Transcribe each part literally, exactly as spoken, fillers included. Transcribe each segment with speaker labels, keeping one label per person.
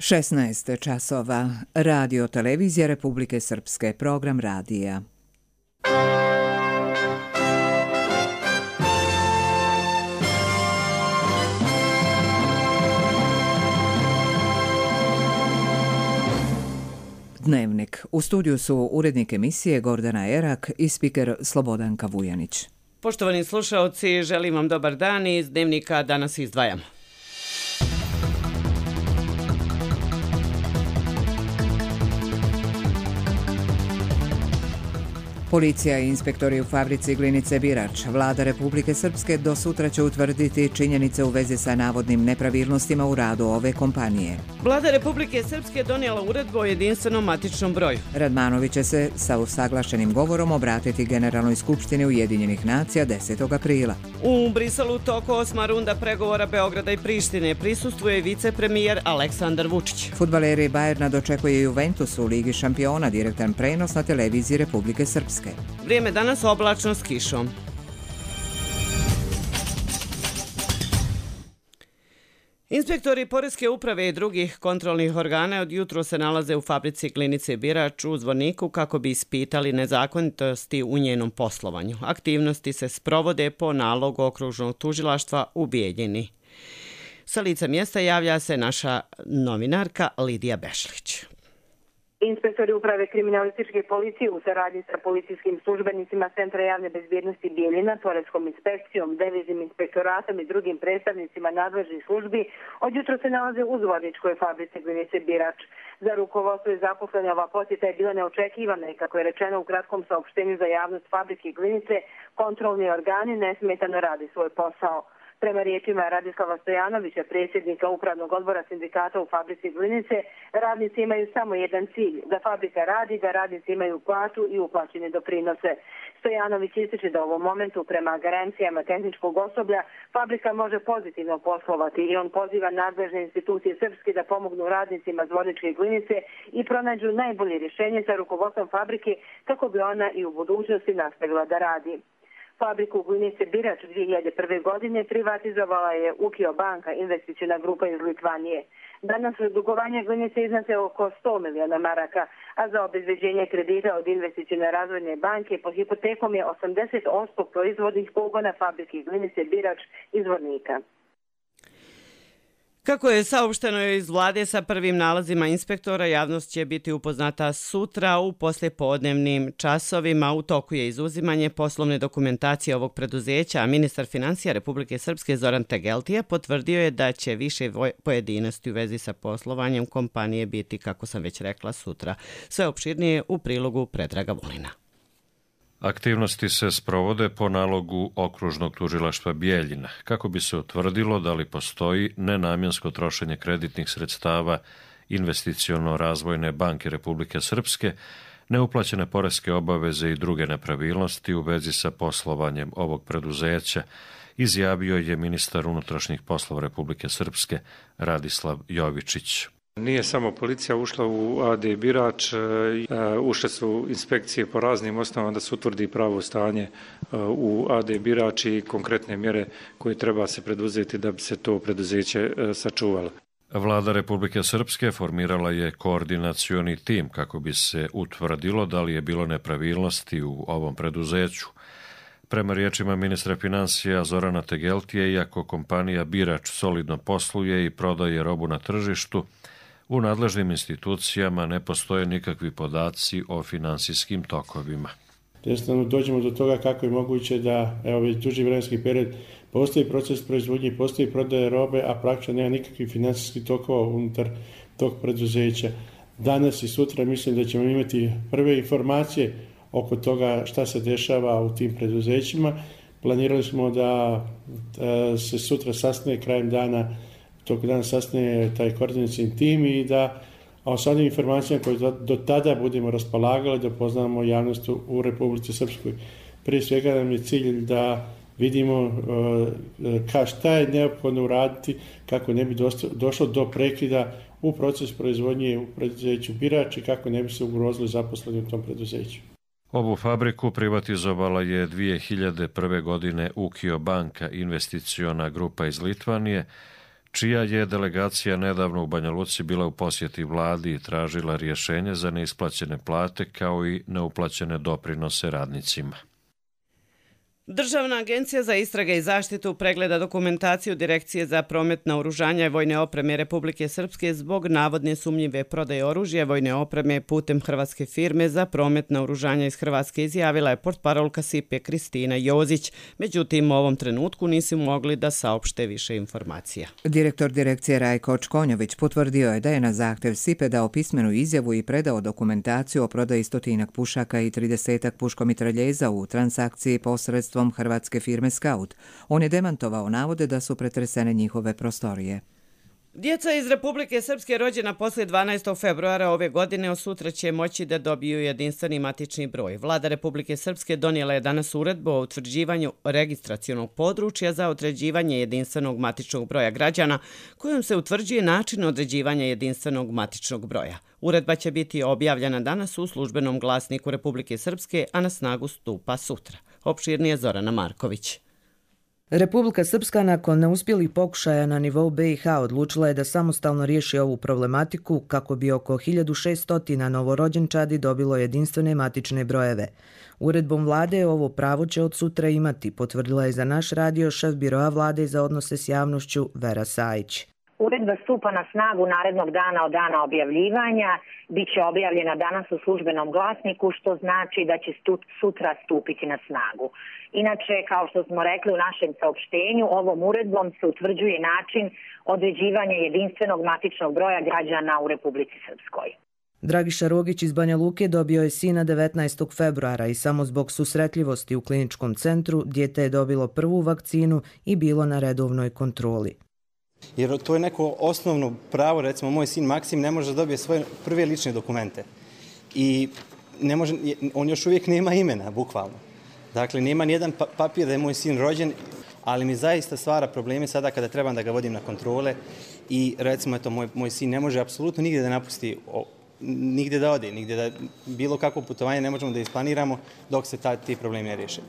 Speaker 1: šesnaest časova. Radio televizija Republike Srpske. Program radija. Dnevnik. U studiju su urednik emisije Gordana Erak i spiker Slobodanka Vujanić.
Speaker 2: Poštovani slušaoci, želim vam dobar dan i iz Dnevnika danas izdvajamo.
Speaker 1: Policija i inspektori u fabrici Glinice Birač. Vlada Republike Srpske do sutra će utvrditi činjenice u vezi sa navodnim nepravilnostima u radu ove kompanije.
Speaker 2: Vlada Republike Srpske donijela uredbu o jedinstvenom matičnom broju.
Speaker 1: Radmanović će se sa usaglašenim govorom obratiti Generalnoj skupštini Ujedinjenih nacija desetog aprila.
Speaker 2: U Briselu toku osma runda pregovora Beograda i Prištine prisustvuje i vicepremijer Aleksandar Vučić.
Speaker 1: Fudbaleri Bajerna dočekuje Juventus u Ligi šampiona, direktan prenos na televiziji Republike Srpske.
Speaker 2: Vrijeme danas oblačno s kišom. Inspektori Poreske uprave i drugih kontrolnih organa od jutro se nalaze u fabrici Glinice Birač u Zvorniku kako bi ispitali nezakonitosti u njenom poslovanju. Aktivnosti se sprovode po nalogu okružnog tužilaštva u Bijeljini. Sa lica mjesta javlja se naša novinarka Lidija Bešlić.
Speaker 3: Inspektori uprave kriminalističke policije u saradnji sa policijskim službenicima Centra javne bezbjednosti Bijeljina, Poreskom inspekcijom, deviznim inspektoratom i drugim predstavnicima nadležnih službi od jutro se nalaze u Zvorničkoj fabrici Glinice Birač. Za rukovodstvo i zaposlene ova posjeta je bila neočekivana i kako je rečeno u kratkom saopštenju za javnost fabrike Glinice, kontrolni organi nesmetano radi svoj posao. Prema riječima Radislava Stojanovića, predsjednika upravnog odbora sindikata u fabrici Glinice, radnici imaju samo jedan cilj, da fabrika radi, da radnici imaju platu i uplaćene doprinose. Stojanović ističe da u ovom momentu prema garancijama tehničkog osoblja fabrika može pozitivno poslovati i on poziva nadležne institucije Srpske da pomognu radnicima Zvorničke Glinice i pronađu najbolje rješenje sa rukovodstvom fabrike kako bi ona i u budućnosti nastavila da radi. Fabriku Glinice Birač dvije hiljade prve. godine privatizovala je Ukio banka, investiciona grupa iz Litvanije. Danas dugovanje Glinice iznose oko sto miliona maraka, a za obezbeđenje kredita od investicione razvojne banke pod hipotekom je osamdeset posto proizvodnih pogona fabrike Glinice Birač iz Zvornika.
Speaker 2: Kako je saopšteno iz vlade sa prvim nalazima inspektora, javnost će biti upoznata sutra u poslijepodnevnim časovima. U toku je izuzimanje poslovne dokumentacije ovog preduzeća, a ministar financija Republike Srpske Zoran Tegeltija potvrdio je da će više pojedinosti u vezi sa poslovanjem kompanije biti, kako sam već rekla, sutra. Sve opširnije u prilogu Predraga Vulina.
Speaker 4: Aktivnosti se sprovode po nalogu okružnog tužilaštva Bijeljina, kako bi se utvrdilo da li postoji nenamjensko trošenje kreditnih sredstava Investiciono-razvojne banke Republike Srpske, neuplaćene poreske obaveze i druge nepravilnosti u vezi sa poslovanjem ovog preduzeća, izjavio je ministar unutrašnjih poslova Republike Srpske Radislav Jovičić.
Speaker 5: Nije samo policija ušla u A D Birač, ušle su inspekcije po raznim osnovama da se utvrdi pravo stanje u A D Birač i konkretne mjere koje treba se preduzeti da bi se to preduzeće sačuvalo.
Speaker 4: Vlada Republike Srpske formirala je koordinacioni tim kako bi se utvrdilo da li je bilo nepravilnosti u ovom preduzeću. Prema riječima ministra financija Zorana Tegeltije, iako kompanija Birač solidno posluje i prodaje robu na tržištu, u nadležnim institucijama ne postoje nikakvi podaci o finansijskim tokovima.
Speaker 6: Jednostavno dođemo do toga kako je moguće da evo već duži vremenski period postoji proces proizvodnje, postoji prodaje robe, a praktično nema nikakvih financijskih tokova unutar tog preduzeća. Danas i sutra mislim da ćemo imati prve informacije oko toga šta se dešava u tim preduzećima. Planirali smo da, da se sutra sastane krajem dana, tog dana sastane taj koordinacijni tim i da a s onim informacijama koje do, do tada budemo raspolagali da poznamo javnost u Republici Srpskoj. Prije svega nam je cilj da vidimo uh, ka šta je neophodno uraditi kako ne bi dosto, došlo do prekida u proces proizvodnje u preduzeću Birač i kako ne bi se ugrozili zaposleni u tom preduzeću.
Speaker 4: Ovu fabriku privatizovala je dvije hiljade prve. godine Ukio banka, investiciona grupa iz Litvanije, čija je delegacija nedavno u Banja Luci bila u posjeti vladi i tražila rješenje za neisplaćene plate kao i neuplaćene doprinose radnicima.
Speaker 2: Državna agencija za istrage i zaštitu pregleda dokumentaciju Direkcije za promet naoružanja i vojne opreme Republike Srpske zbog navodne sumnjive prodaje oružja vojne opreme putem hrvatske firme za promet naoružanja iz Hrvatske, izjavila je portparolka SIPE Kristina Jozić. Međutim, u ovom trenutku nisu mogli da saopšte više informacija.
Speaker 1: Direktor direkcije Rajko Čkonjović potvrdio je da je na zahtev SIPE dao pismenu izjavu i predao dokumentaciju o prodaji stotinak pušaka i tridesetak puškomitraljeza u transakciji posredstvom hrvatske firme Scout. On je demantovao navode da su pretresene njihove prostorije.
Speaker 2: Djeca iz Republike Srpske rođena poslije dvanaestog februara ove godine od sutra će moći da dobiju jedinstveni matični broj. Vlada Republike Srpske donijela je danas uredbu o utvrđivanju registracionog područja za određivanje jedinstvenog matičnog broja građana, kojom se utvrđuje način određivanja jedinstvenog matičnog broja. Uredba će biti objavljena danas u službenom glasniku Republike Srpske, a na snagu stupa sutra. Opširnije Zorana Marković.
Speaker 7: Republika Srpska nakon neuspjelih pokušaja na nivou B i H odlučila je da samostalno riješi ovu problematiku kako bi oko hiljadu šesto novorođenčadi dobilo jedinstvene matične brojeve. Uredbom vlade ovo pravo će od sutra imati, potvrdila je za naš radio šef biroa vlade za odnose s javnošću Vera Sajić.
Speaker 8: Uredba stupa na snagu narednog dana od dana objavljivanja, bit će objavljena danas u službenom glasniku, što znači da će sutra stupiti na snagu. Inače, kao što smo rekli u našem saopštenju, ovom uredbom se utvrđuje način određivanja jedinstvenog matičnog broja građana u Republici Srpskoj.
Speaker 7: Dragiša Rogić iz Banja Luke dobio je sina devetnaestog februara i samo zbog susretljivosti u kliničkom centru dijete je dobilo prvu vakcinu i bilo na redovnoj kontroli.
Speaker 9: Jer to je neko osnovno pravo, recimo moj sin Maksim ne može da dobije svoje prve lične dokumente i ne može, on još uvijek nema imena, bukvalno. Dakle, nema nijedan papir da je moj sin rođen, ali mi zaista stvara probleme sada kada trebam da ga vodim na kontrole i recimo eto, moj, moj sin ne može apsolutno nigdje da napusti, nigdje da ode, nigdje da bilo kakvo putovanje ne možemo da isplaniramo dok se ta, ti problemi ne riješe.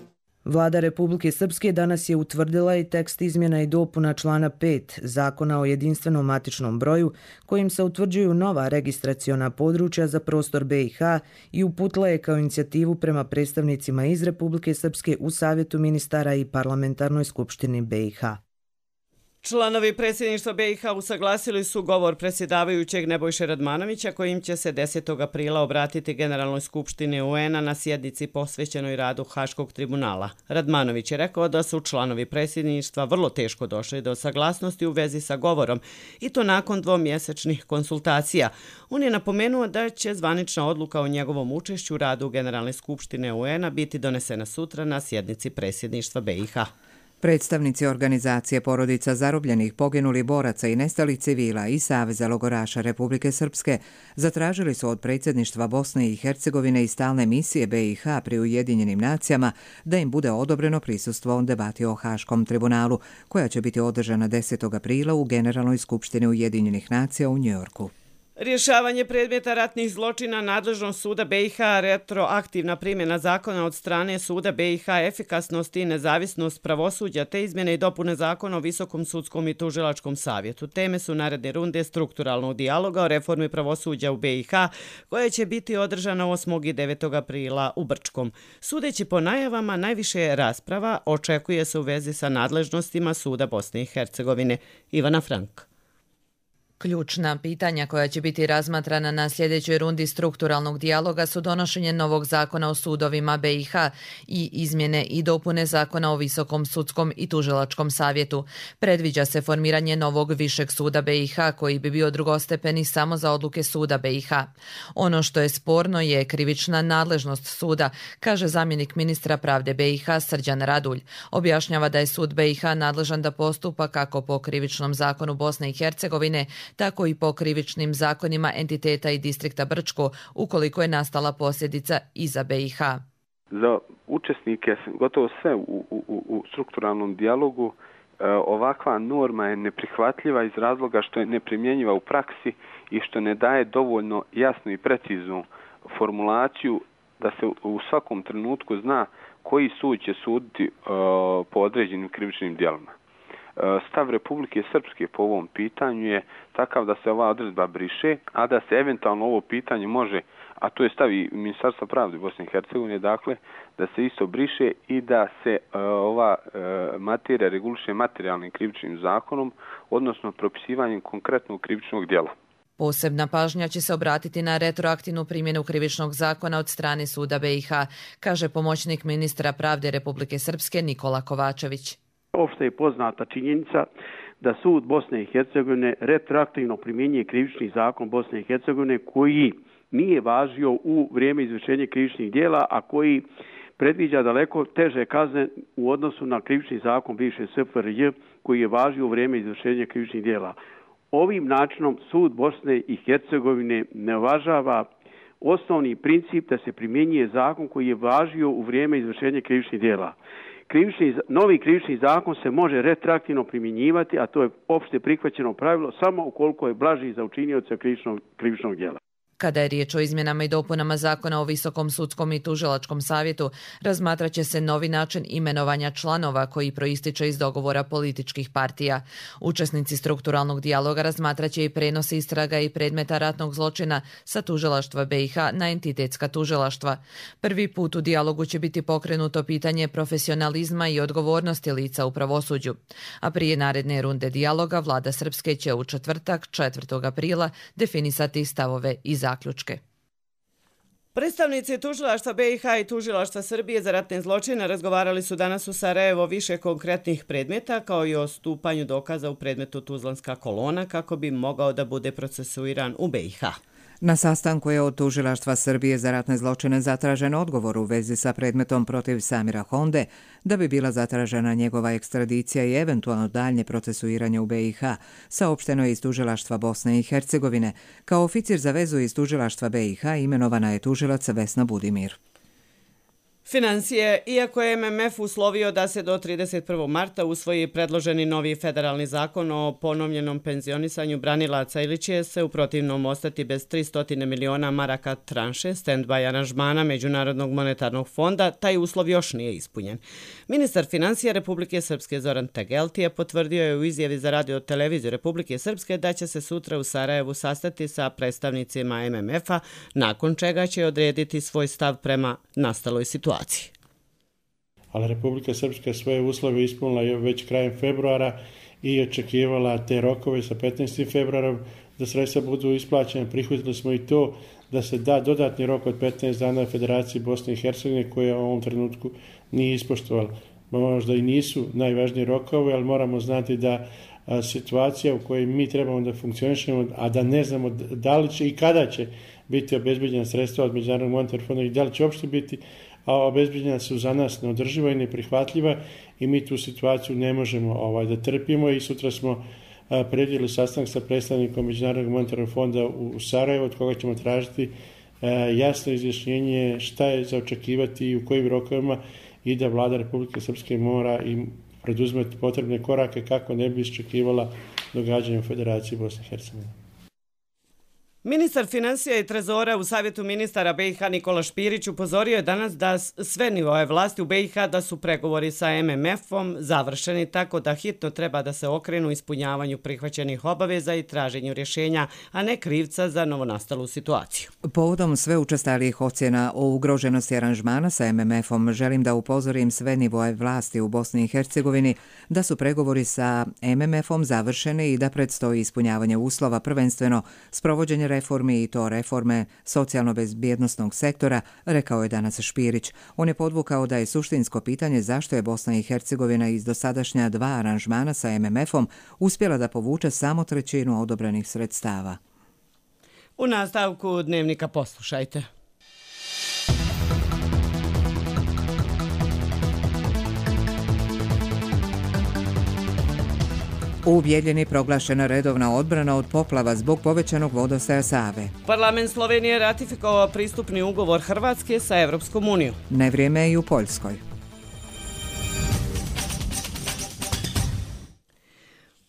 Speaker 7: Vlada Republike Srpske danas je utvrdila i tekst izmjena i dopuna člana pet Zakona o jedinstvenom matičnom broju, kojim se utvrđuju nova registraciona područja za prostor B i H i uputila je kao inicijativu prema predstavnicima iz Republike Srpske u Savjetu ministara i Parlamentarnoj skupštini B i H.
Speaker 2: Članovi predsjedništva B i H usaglasili su govor predsjedavajućeg Nebojše Radmanovića kojim će se desetog aprila obratiti Generalnoj skupštini U N-a na sjednici posvećenoj radu Haškog tribunala. Radmanović je rekao da su članovi predsjedništva vrlo teško došli do saglasnosti u vezi sa govorom i to nakon dvomjesečnih konsultacija. On je napomenuo da će zvanična odluka o njegovom učešću u radu Generalne skupštine U N-a biti donesena sutra na sjednici predsjedništva B i H.
Speaker 1: Predstavnici organizacije porodica zarobljenih, poginulih boraca i nestalih civila i Saveza logoraša Republike Srpske zatražili su od predsjedništva Bosne i Hercegovine i stalne misije B i H pri Ujedinjenim nacijama da im bude odobreno prisustvo u debati o Haškom tribunalu, koja će biti održana desetog aprila u Generalnoj skupštini Ujedinjenih nacija u Njujorku.
Speaker 2: Rješavanje predmeta ratnih zločina, nadležnost suda B i H, retroaktivna primjena zakona od strane suda B i H, efikasnost i nezavisnost pravosuđa te izmjene i dopune zakona o Visokom sudskom i tužilačkom savjetu. Teme su naredne runde strukturalnog dijaloga o reformi pravosuđa u B i H, koja će biti održana osmog i devetog aprila u Brčkom. Sudeći po najavama, najviše rasprava očekuje se u vezi sa nadležnostima suda Bosne i Hercegovine. Ivana Frank.
Speaker 10: Ključna pitanja koja će biti razmatrana na sljedećoj rundi strukturalnog dijaloga su donošenje novog zakona o sudovima B i H i izmjene i dopune zakona o Visokom sudskom i tužilačkom savjetu. Predviđa se formiranje novog višeg suda B i H koji bi bio drugostepeni samo za odluke suda B i H. Ono što je sporno je krivična nadležnost suda, kaže zamjenik ministra pravde B i H Srđan Radulj. Objašnjava da je sud B i H nadležan da postupa kako po krivičnom zakonu Bosne i Hercegovine, tako i po krivičnim zakonima entiteta i distrikta Brčko, ukoliko je nastala posljedica i za B i H.
Speaker 11: Za učesnike, gotovo sve u, u, u strukturalnom dijalogu, ovakva norma je neprihvatljiva iz razloga što je neprimjenjiva u praksi i što ne daje dovoljno jasnu i preciznu formulaciju da se u svakom trenutku zna koji sud će suditi po određenim krivičnim djelima. Stav Republike Srpske po ovom pitanju je takav da se ova odredba briše, a da se eventualno ovo pitanje može, a to je stav i Ministarstva pravde Bosne i Hercegovine, dakle, da se isto briše i da se uh, ova uh, materija reguliše materijalnim krivičnim zakonom, odnosno propisivanjem konkretnog krivičnog djela.
Speaker 10: Posebna pažnja će se obratiti na retroaktivnu primjenu krivičnog zakona od strane Suda B i H, kaže pomoćnik ministra pravde Republike Srpske Nikola Kovačević.
Speaker 12: Opšte je poznata činjenica da Sud Bosne i Hercegovine retroaktivno primjenjuje krivični zakon Bosne i Hercegovine koji nije važio u vrijeme izvršenja krivičnih djela, a koji predviđa daleko teže kazne u odnosu na krivični zakon bivše S F R J koji je važio u vrijeme izvršenja krivičnih djela. Ovim načinom Sud Bosne i Hercegovine ne uvažava osnovni princip da se primjenjuje zakon koji je važio u vrijeme izvršenja krivičnih djela. Krivični, novi krivični zakon se može retroaktivno primjenjivati, a to je opšte prihvaćeno pravilo samo ukoliko je blaži za učinioca krivičnog, krivičnog djela.
Speaker 10: Kada je riječ o izmjenama i dopunama zakona o Visokom sudskom i tužilačkom savjetu, razmatrat će se novi način imenovanja članova koji proističe iz dogovora političkih partija. Učesnici strukturalnog dijaloga razmatrat će i prenos istraga i predmeta ratnog zločina sa tužilaštva B i H na entitetska tužilaštva. Prvi put u dijalogu će biti pokrenuto pitanje profesionalizma i odgovornosti lica u pravosuđu. A prije naredne runde dijaloga vlada Srpske će u četvrtak, četvrtog aprila, definisati stavove i zaključke. Zaključke.
Speaker 2: Predstavnici tužilaštva B i H i tužilaštva Srbije za ratne zločine razgovarali su danas u Sarajevo više konkretnih predmeta kao i o stupanju dokaza u predmetu Tuzlanska kolona kako bi mogao da bude procesuiran u B i H.
Speaker 1: Na sastanku je od tužilaštva Srbije za ratne zločine zatražen odgovor u vezi sa predmetom protiv Samira Honde, da bi bila zatražena njegova ekstradicija i eventualno daljnje procesuiranje u B i H, saopšteno je iz tužilaštva Bosne i Hercegovine. Kao oficir za vezu iz tužilaštva B i H imenovana je tužilac Vesna Budimir.
Speaker 2: Financije, iako je M M F uslovio da se do trideset prvog marta usvoji predloženi novi federalni zakon o ponovljenom penzionisanju branilaca ili će se u protivnom ostati bez tristo miliona maraka tranše stand-by aranžmana Međunarodnog monetarnog fonda, taj uslov još nije ispunjen. Ministar financija Republike Srpske Zoran Tegelti je potvrdio je u izjavi za radio televiziju Republike Srpske da će se sutra u Sarajevu sastati sa predstavnicima M M F-a, nakon čega će odrediti svoj stav prema nastaloj situaciji.
Speaker 6: Ali Republika Srpska svoje uslove ispunila već krajem februara i očekivala te rokove sa petnaestim februarom da sredstva budu isplaćene. Prihvatili smo i to da se da dodatni rok od petnaest dana Federaciji Bosne i Hercegovine koje u ovom trenutku nije ispoštovala. Možda i nisu najvažniji rokovi, ali moramo znati da a, situacija u kojoj mi trebamo da funkcionišemo, a da ne znamo da li će i kada će biti obezbeđena sredstva od Međunarodnog monetarnog fonda i da li će uopšte biti, a obezbeđena su za nas neodrživa i neprihvatljiva i mi tu situaciju ne možemo ovaj, da trpimo i sutra smo a, predvidjeli sastanak sa predstavnikom Međunarodnog monetarnog fonda u, u Sarajevu od koga ćemo tražiti a, jasno izjašnjenje šta je za očekivati i u kojim rokovima i da vlada Republike Srpske mora i preduzmeti potrebne korake kako ne bi iščekivala događanje u Federaciji Bosne i Hercegovine.
Speaker 2: Ministar financija i trezora u Savjetu ministara B i H Nikola Špirić upozorio je danas da sve nivoje vlasti u B i H da su pregovori sa M M F-om završeni tako da hitno treba da se okrenu ispunjavanju prihvaćenih obaveza i traženju rješenja, a ne krivca za novonastalu situaciju. Povodom sve učestalijih ocjena o ugroženosti aranžmana sa M M F-om želim da upozorim sve nivoje vlasti u Bosni i Hercegovini da su pregovori sa M M F-om završeni i da predstoji ispunjavanje uslova, prvenstveno sprovođenje reformi i to reforme socijalno-bezbjednostnog sektora, rekao je danas Špirić. On je podvukao da je suštinsko pitanje zašto je Bosna i Hercegovina iz dosadašnja dva aranžmana sa M M F-om uspjela da povuče samo trećinu odobrenih sredstava. U nastavku dnevnika poslušajte. U Bijeljini proglašena redovna odbrana od poplava zbog povećanog vodostaja Save. Parlament Slovenije ratifikovao pristupni ugovor Hrvatske sa Evropskom unijom. Nevrijeme je i u Poljskoj.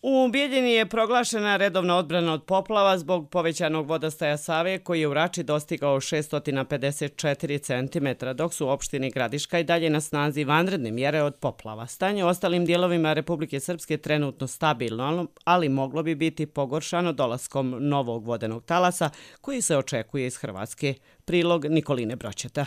Speaker 2: U Bijeljini je proglašena redovna odbrana od poplava zbog povećanog vodostaja Save koji je u Rači dostigao šest pedeset četiri centimetra, dok su u opštini Gradiška i dalje na snazi vanredne mjere od poplava. Stanje u ostalim dijelovima Republike Srpske trenutno stabilno, ali moglo bi biti pogoršano dolaskom novog vodenog talasa koji se očekuje iz Hrvatske. Prilog Nikoline Broćeta.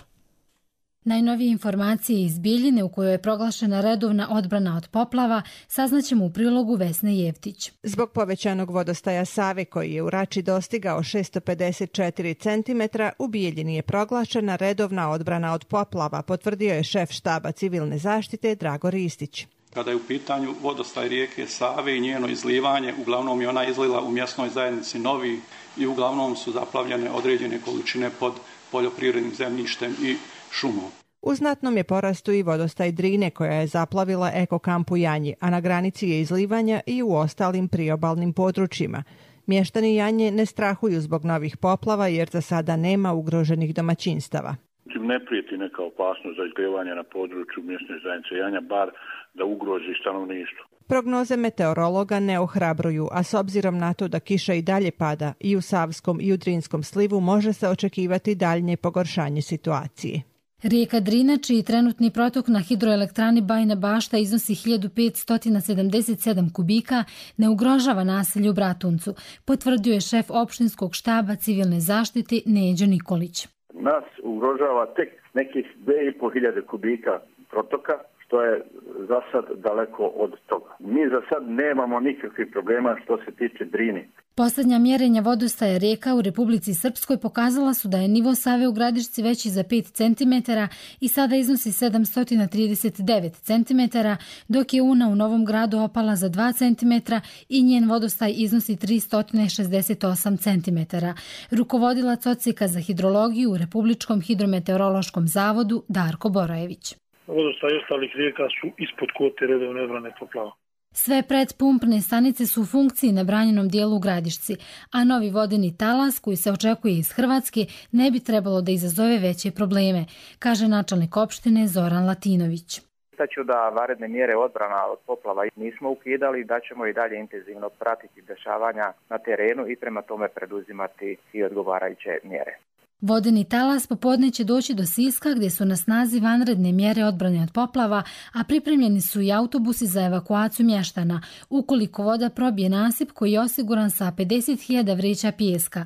Speaker 13: Najnovije informacije iz Bijeljine u kojoj je proglašena redovna odbrana od poplava saznaćemo u prilogu Vesne Jevtić.
Speaker 14: Zbog povećanog vodostaja Save koji je u Rači dostigao šest pedeset četiri centimetra, u Bijeljini je proglašena redovna odbrana od poplava, potvrdio je šef štaba civilne zaštite Drago Ristić.
Speaker 15: Kada je u pitanju vodostaj rijeke Save i njeno izlivanje, uglavnom je ona izlila u mjesnoj zajednici Novi i uglavnom su zaplavljene određene količine pod poljoprivrednim zemljištem i šumom.
Speaker 14: U znatnom je porastu i vodostaj Drine koja je zaplavila ekokamp u Janji, a na granici je izlivanja i u ostalim priobalnim područjima. Mještani Janje ne strahuju zbog novih poplava jer za sada nema ugroženih domaćinstava.
Speaker 16: Ne prijeti neka opasnost za izlijevanje na području mjesne zajednice Janja, bar da ugrozi stanovništvo.
Speaker 14: Prognoze meteorologa ne ohrabruju, a s obzirom na to da kiša i dalje pada i u Savskom i u Drinskom slivu može se očekivati daljnje pogoršanje situacije.
Speaker 13: Rijeka Drina, čiji trenutni protok na hidroelektrani Bajina Bašta iznosi hiljadu petsto sedamdeset sedam kubika, ne ugrožava naselje u Bratuncu, potvrdio je šef opštinskog štaba civilne zaštite Neđo Nikolić.
Speaker 17: Nas ugrožava tek nekih dvije i pol hiljade kubika protoka, što je za sad daleko od toga. Mi za sad nemamo nikakvih problema što se tiče Drine.
Speaker 13: Posljednja mjerenja vodostaja rijeka u Republici Srpskoj pokazala su da je nivo Save u Gradišci veći za pet centimetara i sada iznosi sedamsto trideset devet centimetara, dok je Una u Novom Gradu opala za dva centimetra i njen vodostaj iznosi tristo šezdeset osam centimetara. Rukovodilac odsjeka za hidrologiju u Republičkom hidrometeorološkom zavodu Darko Borojević.
Speaker 18: Vodostaj ostalih rijeka su ispod kvote redovne odbrane poplava.
Speaker 13: Sve predpumpne stanice su u funkciji na branjenom dijelu u Gradišci, a novi vodeni talas koji se očekuje iz Hrvatske ne bi trebalo da izazove veće probleme, kaže načelnik opštine Zoran Latinović.
Speaker 19: Istaću da vanredne mjere odbrana od poplava nismo ukidali, da ćemo i dalje intenzivno pratiti dešavanja na terenu i prema tome preduzimati i odgovarajuće mjere.
Speaker 13: Vodeni talas popodne će doći do Siska gdje su na snazi vanredne mjere odbrane od poplava, a pripremljeni su i autobusi za evakuaciju mještana, ukoliko voda probije nasip koji je osiguran sa pedeset hiljada vreća pijeska.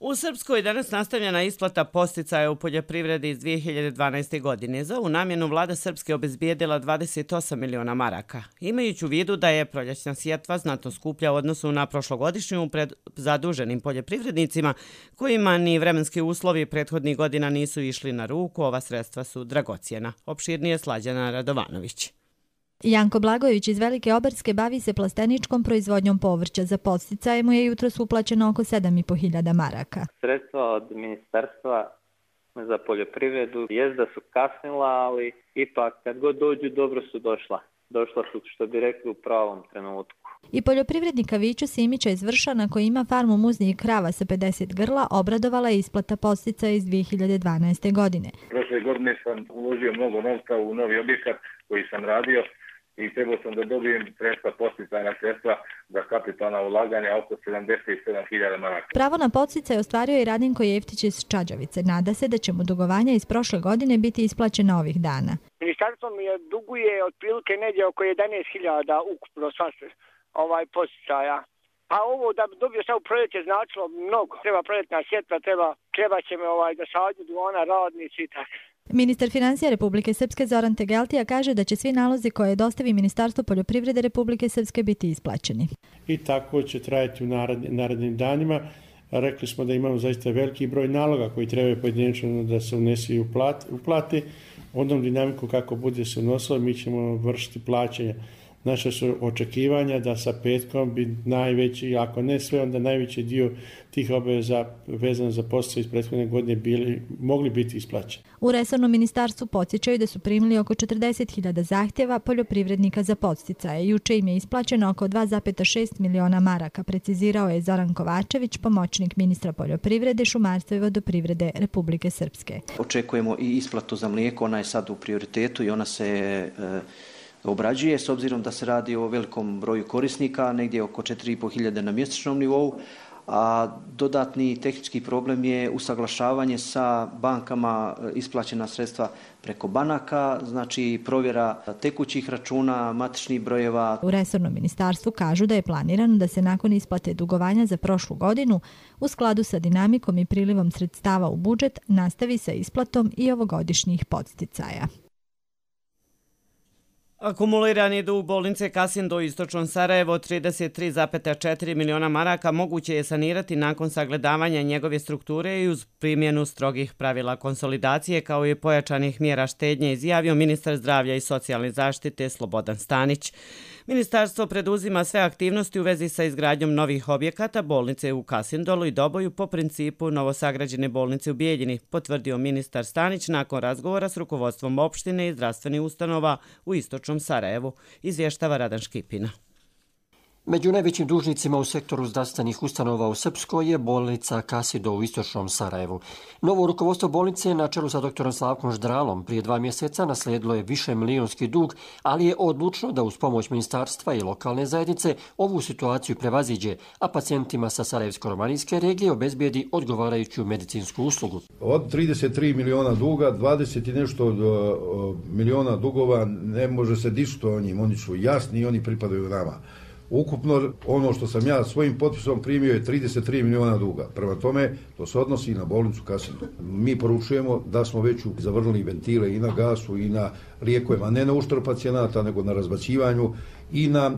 Speaker 2: U Srpskoj danas nastavljena isplata podsticaja u poljoprivredi iz dvije hiljade dvanaeste. godine. Za ovu namjenu vlada Srpske obezbijedila dvadeset osam miliona maraka. Imajući u vidu da je proljećna sjetva znatno skuplja u odnosu na prošlogodišnju pred zaduženim poljoprivrednicima, kojima ni vremenski uslovi prethodnih godina nisu išli na ruku, ova sredstva su dragocjena. Opširnije Slađana Radovanović.
Speaker 20: Janko Blagojević iz Velike Oberske bavi se plasteničkom proizvodnjom povrća. Za podsticaje mu je jutros uplaćeno oko sedam i po hiljada maraka.
Speaker 21: Sredstva od Ministarstva za poljoprivredu jest da su kasnila, ali ipak kad god dođu dobro su došla. Došla su, što bi rekli, u pravom trenutku.
Speaker 20: I poljoprivrednika Viću Simića iz Vršana koji ima farmu muznih krava sa pedeset grla obradovala je isplata podsticaja iz dvije hiljade dvanaeste. godine.
Speaker 16: Prošle godine sam uložio mnogo novca u novi objekat koji sam radio i trebao sam da dobijem sredstva, podsticajna sredstva za kapitalna ulaganja oko sedamdeset sedam hiljada maraka.
Speaker 20: Pravo na podsticaj ostvario je i Radinko Jeftić iz Čađavice. Nada se da će mu dugovanja iz prošle godine biti isplaćena ovih dana.
Speaker 22: Ministarstvo mi je duguje otprilike negdje oko jedanaest hiljada ukupno sva ovaj podsticaja. Pa ovo da bi dobio sad u proljeće značilo mnogo. Treba proljetna sjetva, treba, treba će me ovaj, da sadnju duona radnici i tako.
Speaker 20: Ministar financija Republike Srpske Zoran Tegeltija kaže da će svi nalozi koje dostavi Ministarstvo poljoprivrede Republike Srpske biti isplaćeni.
Speaker 6: I tako će trajati u narednim danima. Rekli smo da imamo zaista veliki broj naloga koji trebaju pojedinačno da se unesu i uplati. Onom dinamiku kako bude se unosilo mi ćemo vršiti plaćanje. Naše su očekivanja da sa petkom bi najveći, ako ne sve, onda najveći dio tih obaveza vezano za podsticaje iz prethodne godine bili, mogli biti isplaćeni.
Speaker 20: U resornom ministarstvu podsjećaju da su primili oko četrdeset hiljada zahtjeva poljoprivrednika za podsticaje. Juče im je isplaćeno oko dva zarez šest miliona maraka, precizirao je Zoran Kovačević, pomoćnik ministra poljoprivrede, šumarstva i vodoprivrede Republike Srpske.
Speaker 23: Očekujemo i isplatu za mlijeko, ona je sad u prioritetu i ona se
Speaker 3: obrađuje, s obzirom da se radi o velikom broju korisnika, negdje oko četiri i pol hiljade na mjesečnom nivou, a dodatni tehnički problem je usaglašavanje sa bankama, isplaćena sredstva preko banaka, znači provjera tekućih računa, matičnih brojeva.
Speaker 20: U resornom ministarstvu kažu da je planirano da se nakon isplate dugovanja za prošlu godinu u skladu sa dinamikom i prilivom sredstava u budžet nastavi sa isplatom i ovogodišnjih podsticaja.
Speaker 2: Akumulirani dug bolnice Kasindo u istočnom Sarajevo trideset tri zarez četiri miliona maraka moguće je sanirati nakon sagledavanja njegove strukture i uz primjenu strogih pravila konsolidacije kao i pojačanih mjera štednje, izjavio ministar zdravlja i socijalne zaštite Slobodan Stanić. Ministarstvo preduzima sve aktivnosti u vezi sa izgradnjom novih objekata bolnice u Kasindolu i Doboju po principu novosagrađene bolnice u Bijeljini, potvrdio ministar Stanić nakon razgovora s rukovodstvom opštine i zdravstvenih ustanova u istočnom Sarajevu, izvještava Radan Škipina.
Speaker 5: Među najvećim dužnicima u sektoru zdravstvenih ustanova u Srpskoj je bolnica Kasindo u istočnom Sarajevu. Novo rukovodstvo bolnice na čelu sa doktorom Slavkom Ždralom prije dva mjeseca naslijedilo je više milijonski dug, ali je odlučno da uz pomoć ministarstva i lokalne zajednice ovu situaciju prevaziđe, a pacijentima sa Sarajevsko-romanijske regije obezbijedi odgovarajuću medicinsku uslugu.
Speaker 23: Od trideset tri miliona duga, dvadeset i nešto miliona dugova ne može se dišti o njim, oni su jasni i oni pripadaju nama. Ukupno ono što sam ja svojim potpisom primio je trideset tri miliona duga. Prema tome, to se odnosi i na bolnicu Kasindo. Mi poručujemo da smo već zavrnuli ventile i na gasu i na lijekovima, ne na uštrb pacijenata, nego na razbacivanju i na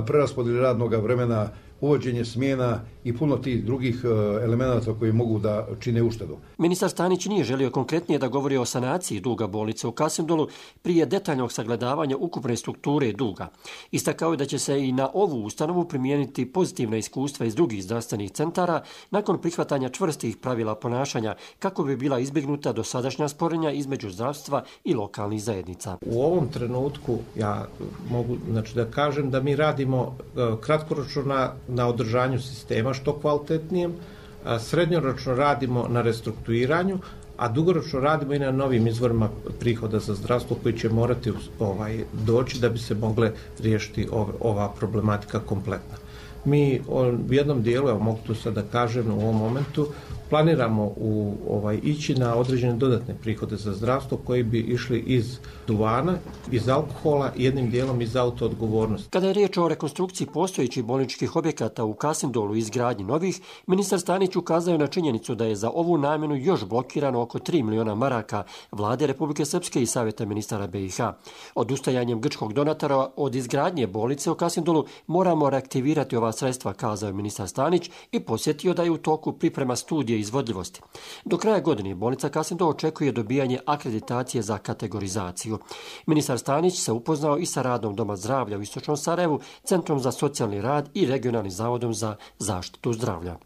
Speaker 23: preraspodjeli radnog vremena, uvođenje smjena i puno tih drugih elemenata koji mogu da čine uštedu.
Speaker 5: Ministar Stanić nije želio konkretnije da govori o sanaciji duga bolnice u Kasindolu prije detaljnog sagledavanja ukupne strukture duga. Istakao je da će se i na ovu ustanovu primijeniti pozitivna iskustva iz drugih zdravstvenih centara nakon prihvatanja čvrstih pravila ponašanja kako bi bila izbjegnuta dosadašnja sporenja između zdravstva i lokalnih zajednica.
Speaker 24: U ovom trenutku ja mogu znači, da kažem da mi radimo kratkoročno na, na održanju sistema što kvalitetnijem, srednjoročno radimo na restrukturiranju, a dugoročno radimo i na novim izvorima prihoda za zdravstvo koji će morati ovaj, doći da bi se mogle riješiti ov, ova problematika kompletna. Mi u jednom dijelu, evo mogu to sad da kažem u ovom momentu, planiramo u, ovaj, ići na određene dodatne prihode za zdravstvo koji bi išli iz duvana, iz alkohola i jednim dijelom iz autoodgovornosti.
Speaker 5: Kada je riječ o rekonstrukciji postojećih bolničkih objekata u Kasindolu i izgradnji novih, ministar Stanić ukazao na činjenicu da je za ovu namjenu još blokirano oko tri miliona maraka vlade Republike Srpske i Savjeta ministara B i H. Odustajanjem grčkog donatora od izgradnje bolnice u Kasindolu moramo reaktivirati ova sredstva, kazao je ministar Stanić i posjetio da je u toku priprema studije izvodljivosti. Do kraja godine bolnica Kasindo očekuje dobijanje akreditacije za kategorizaciju. Ministar Stanić se upoznao i sa radom Doma zdravlja u istočnom Sarajevu, Centrom za socijalni rad i Regionalnim zavodom za zaštitu zdravlja.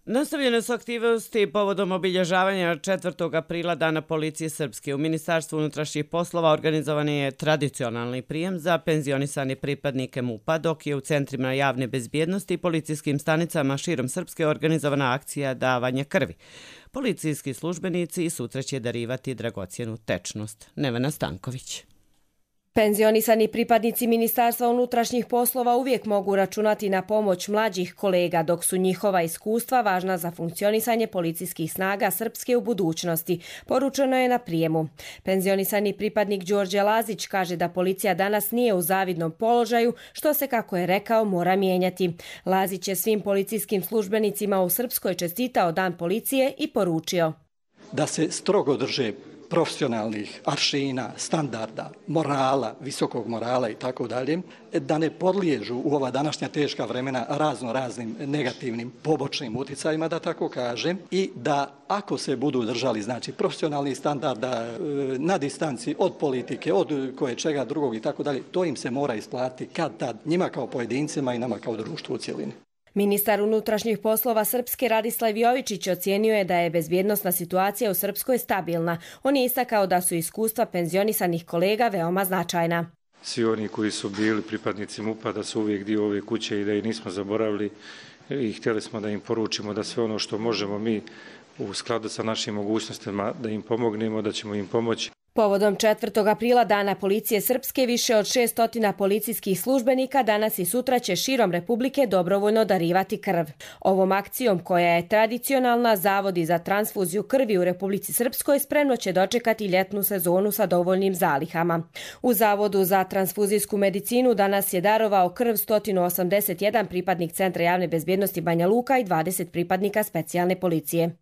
Speaker 2: Nastavljene su aktivnosti povodom obilježavanja četvrtog aprila Dana policije Srpske. U Ministarstvu unutrašnjih poslova organizovan je tradicionalni prijem za penzionisane pripadnike MUP-a, dok je u centrima javne bezbjednosti i policijskim stanicama širom Srpske organizovana akcija davanja krvi. Policijski službenici sutra će darivati dragocjenu tečnost. Nevena Stanković.
Speaker 25: Penzionisani pripadnici Ministarstva unutrašnjih poslova uvijek mogu računati na pomoć mlađih kolega, dok su njihova iskustva važna za funkcionisanje policijskih snaga Srpske u budućnosti, poručeno je na prijemu. Penzionisani pripadnik Đorđe Lazić kaže da policija danas nije u zavidnom položaju, što se, kako je rekao, mora mijenjati. Lazić je svim policijskim službenicima u Srpskoj čestitao Dan policije i poručio
Speaker 26: da se strogo drže profesionalnih aršina, standarda, morala, visokog morala i tako dalje, da ne podliježu u ova današnja teška vremena razno raznim negativnim pobočnim uticajima, da tako kažem, i da ako se budu držali znači profesionalnih standarda na distanci od politike, od koje čega drugog i tako dalje, to im se mora isplatiti kad tad, njima kao pojedincima i nama kao društvu u cjelini.
Speaker 25: Ministar unutrašnjih poslova Srpske Radislav Jovičić ocijenio je da je bezbjednosna situacija u Srpskoj stabilna. On je istakao da su iskustva penzionisanih kolega veoma značajna.
Speaker 27: Svi oni koji su bili pripadnici MUP-a da su uvijek dio ove kuće i da ih nismo zaboravili i htjeli smo da im poručimo da sve ono što možemo mi u skladu sa našim mogućnostima da im pomognemo, da ćemo im pomoći.
Speaker 25: Povodom četvrtog aprila Dana policije Srpske, više od šesnaest policijskih službenika danas i sutra će širom Republike dobrovoljno darivati krv. Ovom akcijom, koja je tradicionalna, Zavodi za transfuziju krvi u Republici Srpskoj spremno će dočekati ljetnu sezonu sa dovoljnim zalihama. U Zavodu za transfuzijsku medicinu danas je darovao krv sto osamdeset jedan pripadnik Centra javne bezbjednosti Banja Luka i dvadeset pripadnika specijalne policije.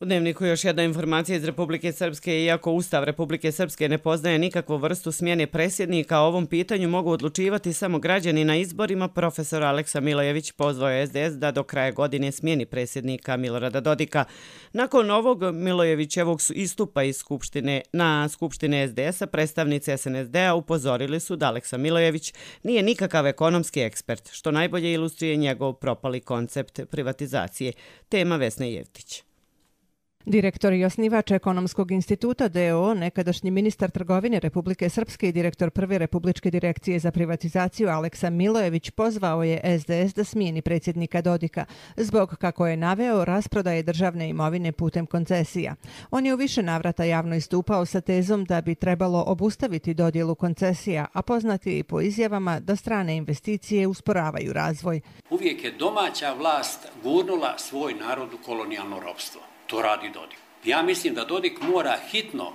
Speaker 2: U Dnevniku još jedna informacija iz Republike Srpske. Iako Ustav Republike Srpske ne poznaje nikakvu vrstu smjene predsjednika, o ovom pitanju mogu odlučivati samo građani na izborima. Profesor Aleksa Milojević pozvao je S D S da do kraja godine smijeni predsjednika Milorada Dodika. Nakon ovog Milojevićevog istupa iz skupštine, na skupštine S D S-a, predstavnici S N S D-a upozorili su da Aleksa Milojević nije nikakav ekonomski ekspert, što najbolje ilustruje njegov propali koncept privatizacije. Tema Vesna Jevtić.
Speaker 14: Direktor i osnivač Ekonomskog instituta D O O, nekadašnji ministar trgovine Republike Srpske i direktor prve Republičke direkcije za privatizaciju Aleksa Milojević pozvao je S D S da smijeni predsjednika Dodika zbog, kako je naveo, rasprodaje državne imovine putem koncesija. On je u više navrata javno istupao sa tezom da bi trebalo obustaviti dodjelu koncesija, a poznati i po izjavama da strane investicije usporavaju razvoj.
Speaker 4: Uvijek je domaća vlast gurnula svoj narod u kolonijalno ropstvo. To radi Dodik. Ja mislim da Dodik mora hitno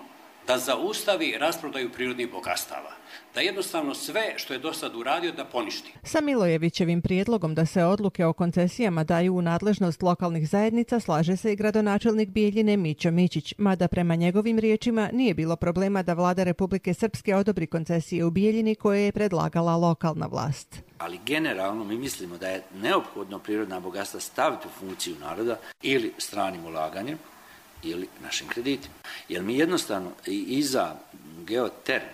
Speaker 4: da zaustavi rasprodaju prirodnih bogatstava. Da jednostavno sve što je do sad uradio da poništi.
Speaker 14: Sa Milojevićevim prijedlogom da se odluke o koncesijama daju u nadležnost lokalnih zajednica slaže se i gradonačelnik Bijeljine Mićo Mićić, mada prema njegovim riječima nije bilo problema da vlada Republike Srpske odobri koncesije u Bijeljini koje je predlagala lokalna vlast.
Speaker 4: Ali generalno mi mislimo da je neophodno prirodna bogatstva staviti u funkciju naroda ili stranim ulaganjem ili našim kreditima. Jer mi jednostavno i za geoterm,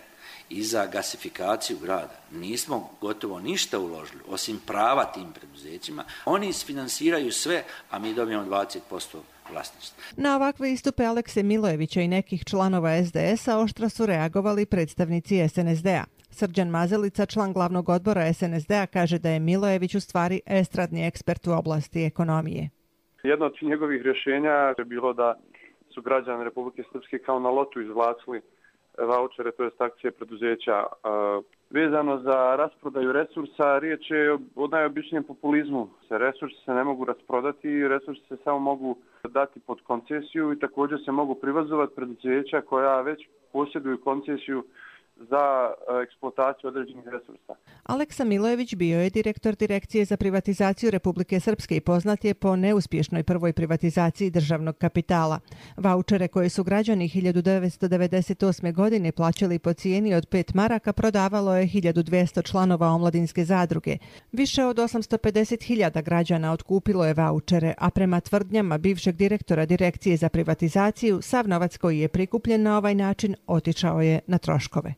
Speaker 4: i za gasifikaciju grada nismo gotovo ništa uložili, osim prava tim preduzećima. Oni isfinansiraju sve, a mi dobijemo dvadeset posto vlasništva.
Speaker 14: Na ovakve istupe Alekse Milojevića i nekih članova S D S-a oštro su reagovali predstavnici S N S D-a. Srđan Mazelica, član glavnog odbora S N S D-a, kaže da je Milojević u stvari estradni ekspert u oblasti ekonomije.
Speaker 7: Jedno od njegovih rješenja je bilo da su građani Republike Srpske kao na lotu izvlacili vaučere, to jest akcije preduzeća. Vezano za rasprodaju resursa, riječ je o najobičnijem populizmu. Resursi se ne mogu rasprodati, resursi se samo mogu dati pod koncesiju i također se mogu privazovati preduzeća koja već posjeduju koncesiju za eksploataciju određenih resursa.
Speaker 14: Aleksa Milojević bio je direktor Direkcije za privatizaciju Republike Srpske i poznat je po neuspješnoj prvoj privatizaciji državnog kapitala. Vaučere koje su građani hiljadu devetsto devedeset osme. godine plaćali po cijeni od pet maraka prodavalo je hiljadu dvjesto članova omladinske zadruge. Više od osamsto pedeset hiljada građana otkupilo je vaučere, a prema tvrdnjama bivšeg direktora Direkcije za privatizaciju, sav novac koji je prikupljen na ovaj način otišao je na troškove.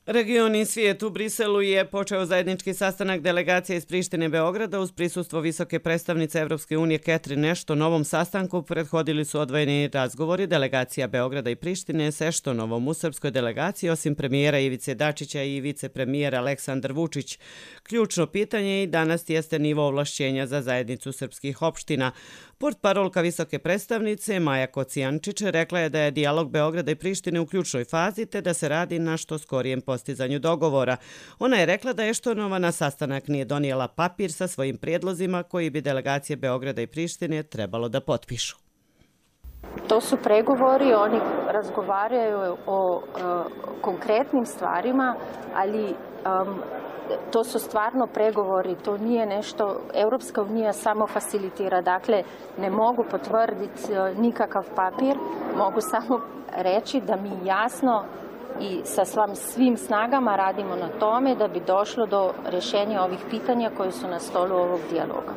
Speaker 2: Regioni svijet u Briselu je počeo zajednički sastanak delegacije iz Prištine Beograda uz prisustvo visoke predstavnice Evropske unije Catherine Ashton. Novom sastanku prethodili su odvojeni razgovori delegacija Beograda i Prištine s Ashtonovom. U srpskoj delegaciji, osim premijera Ivice Dačića i vicepremijera Aleksandar Vučić, ključno pitanje i danas jeste nivo ovlašćenja za zajednicu srpskih opština. Portparolka visoke predstavnice Maja Kocijančić rekla je da je dijalog Beograda i Prištine u ključnoj fazi te da se radi na što skorijem postizanju dogovora. Ona je rekla da Eštonova na sastanak nije donijela papir sa svojim prijedlozima koji bi delegacije Beograda i Prištine trebalo da potpišu.
Speaker 8: To su pregovori, oni razgovaraju o uh, konkretnim stvarima, ali um, to su stvarno pregovori, to nije nešto, Europska unija samo facilitira, dakle ne mogu potvrditi nikakav papir, mogu samo reći da mi jasno i sa svim snagama radimo na tome da bi došlo do rješenja ovih pitanja koji su na stolu ovog dijaloga.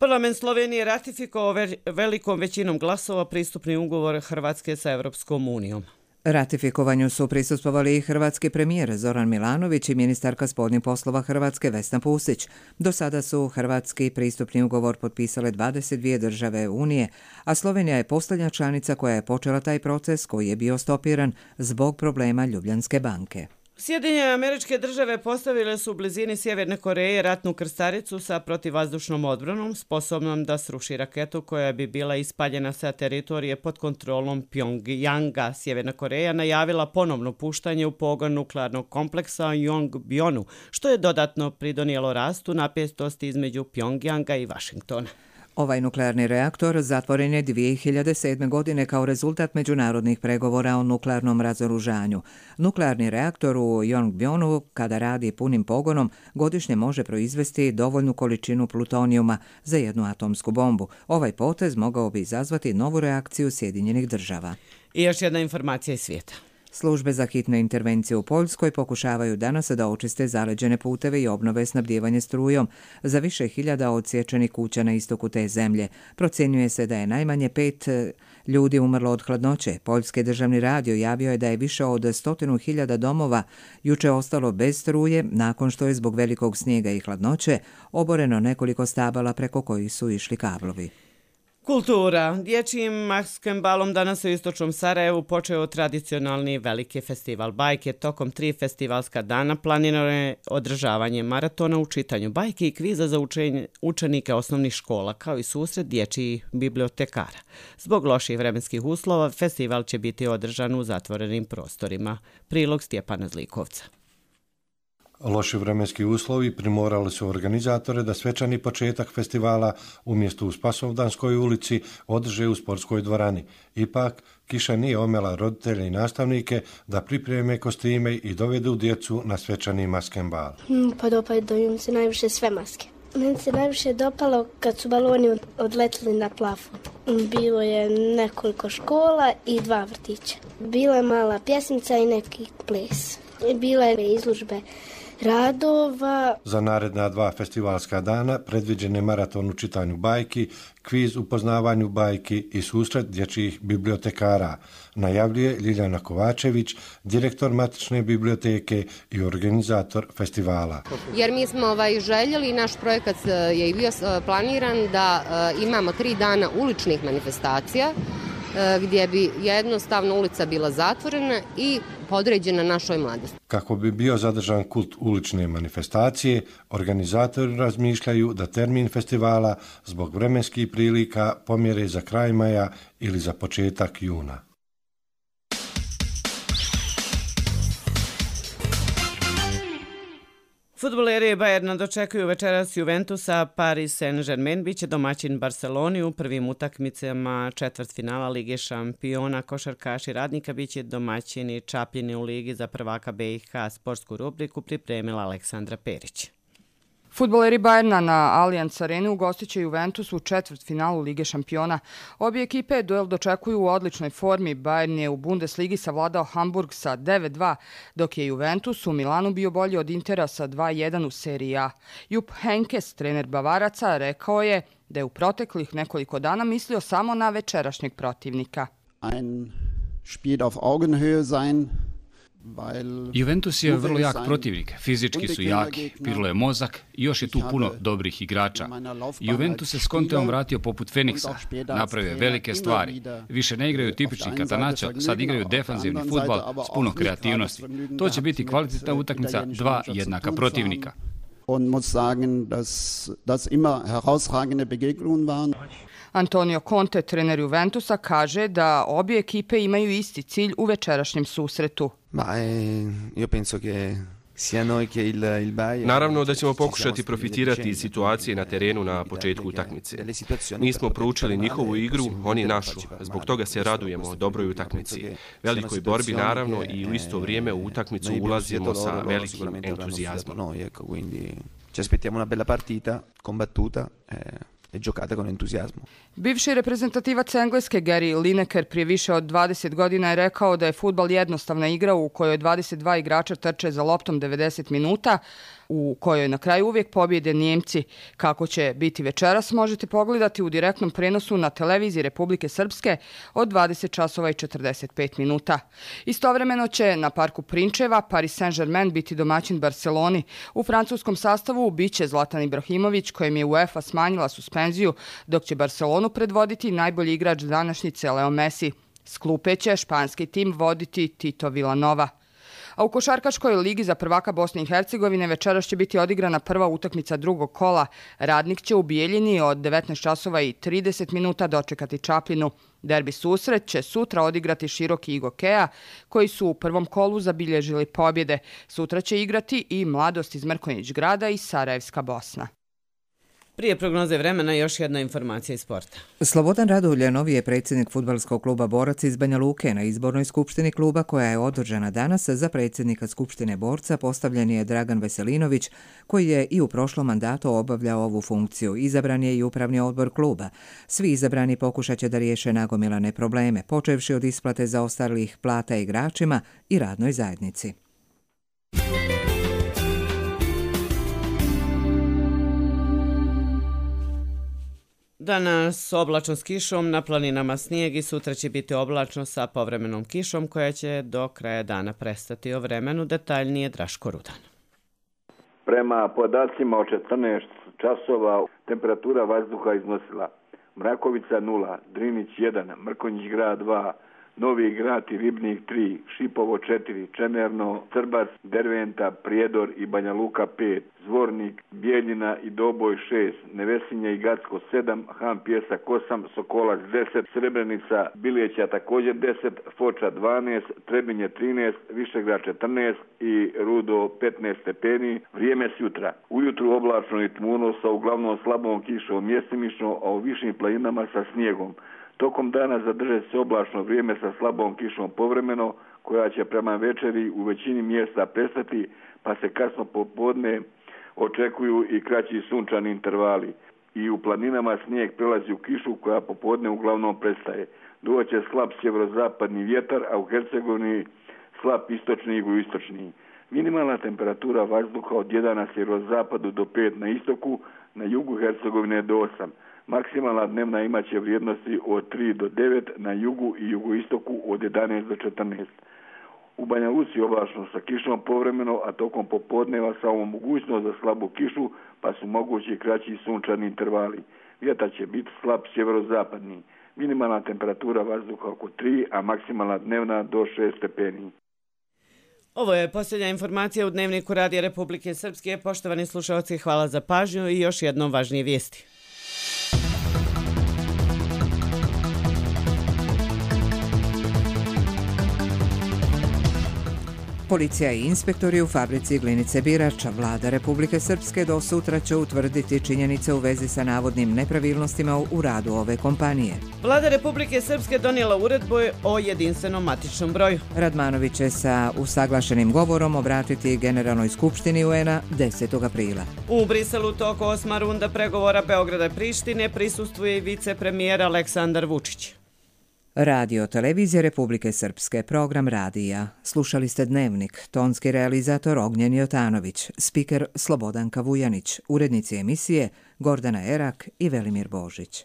Speaker 2: Parlament Slovenije ratifikovao velikom većinom glasova pristupni ugovor Hrvatske sa Evropskom unijom.
Speaker 1: Ratifikovanju su prisustvovali i hrvatski premijer Zoran Milanović i ministarka spoljnih poslova Hrvatske Vesna Pusić. Do sada su hrvatski pristupni ugovor potpisale dvadeset dvije države Unije, a Slovenija je posljednja članica koja je počela taj proces koji je bio stopiran zbog problema Ljubljanske banke.
Speaker 2: Sjedinjene Američke Države postavile su u blizini Sjeverne Koreje ratnu krstaricu sa protivvazdušnom odbranom, sposobnom da sruši raketu koja bi bila ispaljena sa teritorije pod kontrolom Pjongjanga. Sjeverna Koreja najavila ponovno puštanje u pogon nuklearnog kompleksa Yongbyon, što je dodatno pridonijelo rastu napetosti između Pjongjanga i Vašingtona.
Speaker 1: Ovaj nuklearni reaktor zatvoren je dvije hiljade sedme. godine kao rezultat međunarodnih pregovora o nuklearnom razoružanju. Nuklearni reaktor u Yongbyonu, kada radi punim pogonom, godišnje može proizvesti dovoljnu količinu plutonijuma za jednu atomsku bombu. Ovaj potez mogao bi izazvati novu reakciju Sjedinjenih Država.
Speaker 2: I još jedna informacija iz svijeta.
Speaker 1: Službe za hitne intervencije u Poljskoj pokušavaju danas da očiste zaleđene puteve i obnove snabdijevanje strujom za više hiljada odsječenih kuća na istoku te zemlje. Procjenjuje se da je najmanje pet ljudi umrlo od hladnoće. Poljski državni radio javio je da je više od stotinu hiljada domova juče ostalo bez struje nakon što je zbog velikog snijega i hladnoće oboreno nekoliko stabala preko kojih su išli kablovi.
Speaker 2: Kultura. Dječjim maskembalom danas u istočnom Sarajevu počeo tradicionalni veliki festival bajke. Tokom tri festivalska dana planirano je održavanje maratona u čitanju bajke i kviza za učenje, učenike osnovnih škola, kao i susret dječjih bibliotekara. Zbog loših vremenskih uslova, festival će biti održan u zatvorenim prostorima. Prilog Stjepana Zlikovca.
Speaker 9: Loši vremenski uslovi primorali su organizatore da svečani početak festivala umjesto u Spasovdanskoj ulici održe u sportskoj dvorani. Ipak, kiša nije omela roditelje i nastavnike da pripreme kostime i dovedu djecu na svečani maskembal.
Speaker 10: Hmm, pa dopadaju mi se najviše sve maske. Meni se najviše dopalo kad su baloni odletili na plafon. Bilo je nekoliko škola i dva vrtića. Bila je mala pjesmica i neki ples. Bila je izložbe radova.
Speaker 9: Za naredna dva festivalska dana predviđen je maraton u čitanju bajki, kviz u poznavanju bajki i susret dječjih bibliotekara, najavljuje Ljiljana Kovačević, direktor matične biblioteke i organizator festivala.
Speaker 11: Jer mi smo ovaj, željeli, naš projekat je i bio planiran da uh, imamo tri dana uličnih manifestacija, gdje bi jednostavno ulica bila zatvorena i podređena našoj mladosti.
Speaker 9: Kako bi bio zadržan kult ulične manifestacije, organizatori razmišljaju da termin festivala zbog vremenskih prilika pomjere za kraj maja ili za početak juna.
Speaker 2: Fudbaleri Bayerna dočekuju večeras Juventusa, Paris Saint-Germain biće domaćin Barceloni u prvim utakmicama četvrtfinala Lige šampiona. Košarkaši Radnika biće domaćini Čapljini u Ligi za prvaka B i H. Sportsku rubriku pripremila Aleksandra Perić.
Speaker 12: Fudbaleri Bayerna na Allianz Areni ugostit će Juventus u četvrtfinalu Lige šampiona. Obje ekipe duel dočekuju u odličnoj formi. Bayern je u Bundesligi savladao Hamburg sa devet dva, dok je Juventus u Milanu bio bolji od Intera sa dva jedan u seriji A. Jupp Heynckes, trener Bavaraca, rekao je da je u proteklih nekoliko dana mislio samo na večerašnjeg protivnika.
Speaker 15: Ein Spiel auf Augenhöhe sein.
Speaker 17: Juventus je vrlo jak protivnik, fizički su jaki, pirlo je mozak i još je tu puno dobrih igrača. Juventus se s Conteom vratio poput Feniksa, napravio je velike stvari. Više ne igraju tipični Catanaccio, sad igraju defanzivni fudbal s puno kreativnosti. To će biti kvalitetna utakmica dva jednaka protivnika.
Speaker 12: Antonio Conte, trener Juventusa, kaže da obje ekipe imaju isti cilj u večerašnjem susretu.
Speaker 18: Naravno da ćemo pokušati profitirati iz situacije na terenu na početku utakmice. Nismo proučili njihovu igru, oni našu. Zbog toga se radujemo dobroj utakmici. Velikoj borbi naravno i u isto vrijeme u utakmicu ulazimo sa velikim entuzijazmom.
Speaker 15: Ci aspettiamo una bella partita, combattuta. E giocata con entuziasmo.
Speaker 12: Bivši reprezentativac Engleske Gary Lineker prije više od dvadeset godina je rekao da je fudbal jednostavna igra u kojoj dvadeset dva igrača trče za loptom devedeset minuta, u kojoj na kraju uvijek pobjede Njemci. Kako će biti večeras možete pogledati u direktnom prenosu na televiziji Republike Srpske od dvadeset časova i četrdeset pet minuta. Istovremeno će na parku Prinčeva Paris Saint-Germain biti domaćin Barceloni. U francuskom sastavu biće Zlatan Ibrahimović, kojem je UEFA smanjila suspenziju, dok će Barcelonu predvoditi najbolji igrač današnjice Leo Messi. S klupe će španski tim voditi Tito Villanova. A u košarkaškoj ligi za prvaka Bosne i Hercegovine večeras će biti odigrana prva utakmica drugog kola. Radnik će u Bijeljini od devetnaest časova i trideset minuta dočekati Čapljinu. Derbi susret će sutra odigrati Široki i Gokeja, koji su u prvom kolu zabilježili pobjede. Sutra će igrati i Mladost iz Mrkonjić Grada i Sarajevska Bosna.
Speaker 2: Prije prognoze vremena još jedna informacija iz sporta.
Speaker 1: Slobodan Radulje je predsjednik fudbalskog kluba Borac iz Banja Luke. Na izbornoj skupštini kluba koja je održana danas za predsjednika skupštine Borca postavljen je Dragan Veselinović, koji je i u prošlom mandatu obavljao ovu funkciju. Izabran je i upravni odbor kluba. Svi izabrani pokušat će da riješe nagomilane probleme, počevši od isplate zaostalih plata igračima i radnoj zajednici.
Speaker 2: Danas oblačno s kišom, na planinama snijeg i sutra će biti oblačno sa povremenom kišom koja će do kraja dana prestati. O vremenu detaljnije Draško Rudan.
Speaker 3: Prema podacima od četrnaest časova temperatura vazduha iznosila Mrakovica nula, Drinić jedan, Mrkonjić Grad dva, Novi Grad i Ribnik tri, Šipovo četiri, Čemerno, Crbac, Derventa, Prijedor i Banja Luka pet, Zvornik, Bijeljina i Doboj šest, Nevesinje i Gacko sedam, Han Pjesak osam, Sokolac deset, Srebrenica, Biljeća također deset, Foča dvanaest, Trebinje trinaest, Višegrad četrnaest i Rudo petnaest stepeni. Vrijeme sutra. Ujutru oblačno i tmuno sa uglavnom slabom kišom mjestimično, a u višim planinama sa snijegom. Tokom dana zadrže se oblačno vrijeme sa slabom kišom povremeno, koja će prema večeri u većini mjesta prestati, pa se kasno popodne očekuju i kraći sunčani intervali. I u planinama snijeg prelazi u kišu koja popodne uglavnom prestaje. Doće slab sjeverozapadni vjetar, a u Hercegovini slab istočni i jugoistočni. Minimalna temperatura vazduha od jedan na sjeverozapadu do pet na istoku, na jugu Hercegovine do osam. Maksimalna dnevna imaće vrijednosti od tri do devet, na jugu i jugoistoku od jedanaest do četrnaest. U Banja Luci oblačno sa kišom povremeno, a tokom popodneva samo mogućnost za slabu kišu, pa su mogući kraći sunčani intervali. Vjetar će biti slab sjeverozapadni. Minimalna temperatura vazduha oko tri, a maksimalna dnevna do šest stepeni.
Speaker 2: Ovo je posljednja informacija u Dnevniku Radija Republike Srpske. Poštovani slušalci, hvala za pažnju i još jednom važnije vijesti.
Speaker 1: Policija i inspektori u fabrici Glinice Birača. Vlada Republike Srpske do sutra će utvrditi činjenice u vezi sa navodnim nepravilnostima u radu ove kompanije.
Speaker 2: Vlada Republike Srpske donijela uredbu o jedinstvenom matičnom broju.
Speaker 1: Radmanović će sa usaglašenim govorom obratiti Generalnoj skupštini U N-a desetog aprila.
Speaker 2: U Briselu toko osma runda pregovora Beograda i Prištine prisustvuje i vicepremijer Aleksandar Vučić.
Speaker 1: Radio Televizije Republike Srpske, program radija. Slušali ste Dnevnik, tonski realizator Ognjen Jotanović, spiker Slobodanka Vujanić, urednici emisije Gordana Erak i Velimir Božić.